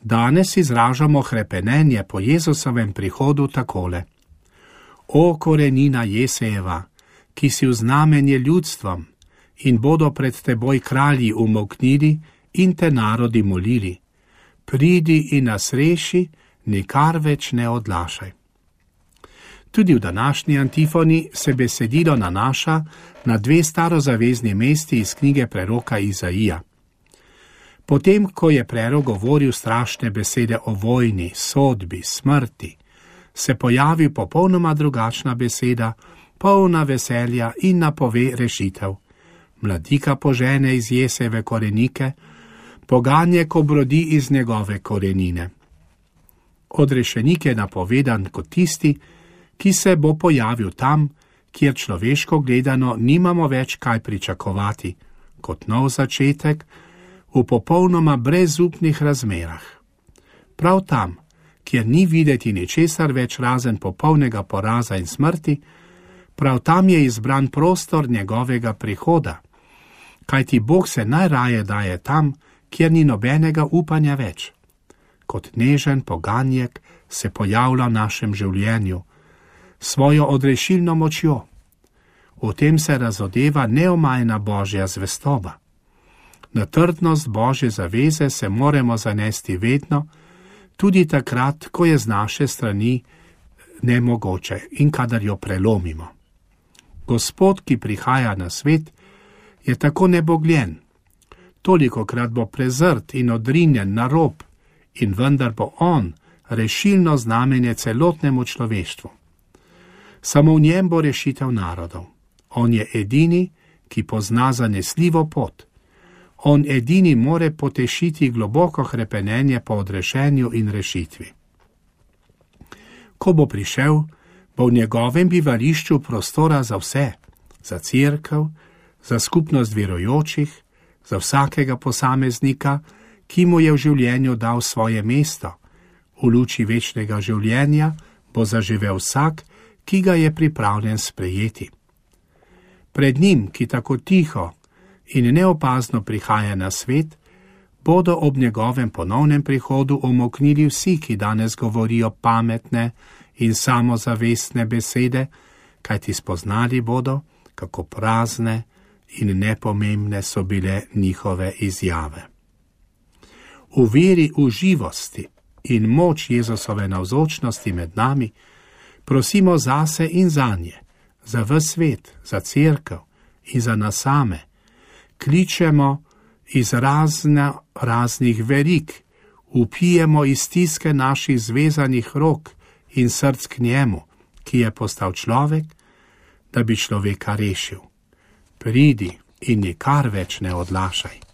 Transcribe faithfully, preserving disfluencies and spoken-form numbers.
Danes izražamo hrepenenje po Jezusovem prihodu takole. O korenina Jesejeva, ki si v znamenje ljudstvom in bodo pred teboj kralji umolknili in te narodi molili. Pridi in nas reši, nikar več ne odlašaj. Tudi v današnji antifoni se besedilo nanaša na dve starozavezni mesti iz knjige preroka Izaija. Potem, ko je prerok govoril strašne besede o vojni, sodbi, smrti, se pojavi popolnoma drugačna beseda, polna veselja in napove rešitev. Mladika požene iz Jesejeve korenike, poganjek obrodi iz njegove korenine. Odrešenik je napovedan kot tisti, ki se bo pojavil tam, kjer človeško gledano nimamo več kaj pričakovati, kot nov začetek v popolnoma brezupnih razmerah. Prav tam, kjer ni videti ničesar več razen popolnega poraza in smrti, prav tam je izbran prostor njegovega prihoda, kajti Bog se najraje daje tam, kjer ni nobenega upanja več. Kot nežen poganjek se pojavlja v našem življenju, svojo odrešilno močjo. V tem se razodeva neomajna Božja zvestoba. Na trdnost Božje zaveze se moramo zanesti vedno, tudi takrat, ko je z naše strani nemogoče in kadar jo prelomimo. Gospod, ki prihaja na svet, je tako nebogljen. Tolikokrat bo prezrt in odrinjen na rob in vendar bo on rešilno znamenje celotnemu človeštvu. Samo v njem bo rešitev narodov. On je edini, ki pozna zanesljivo pot. On edini more potešiti globoko hrepenenje po odrešenju in rešitvi. Ko bo prišel, bo v njegovem bivališču prostora za vse, za cerkev, za skupnost verujočih, za vsakega posameznika, ki mu je v življenju dal svoje mesto. V luči večnega življenja bo zaživel vsak, ki ga je pripravljen sprejeti. Pred njim, ki tako tiho in neopazno prihaja na svet, bodo ob njegovem ponovnem prihodu omoknili vsi, ki danes govorijo pametne in samozavestne besede, kajti spoznali bodo, kako prazne in nepomembne so bile njihove izjave. V veri v živosti in moč Jezusove navzočnosti med nami prosimo zase in zanje, za ves svet, za cerkev in za nas same. Kličemo iz razne, raznih verig, vpijemo iz stiske naših zvezanih rok in src k njemu, ki je postal človek, da bi človeka rešil. Pridi in nikar več ne odlašaj.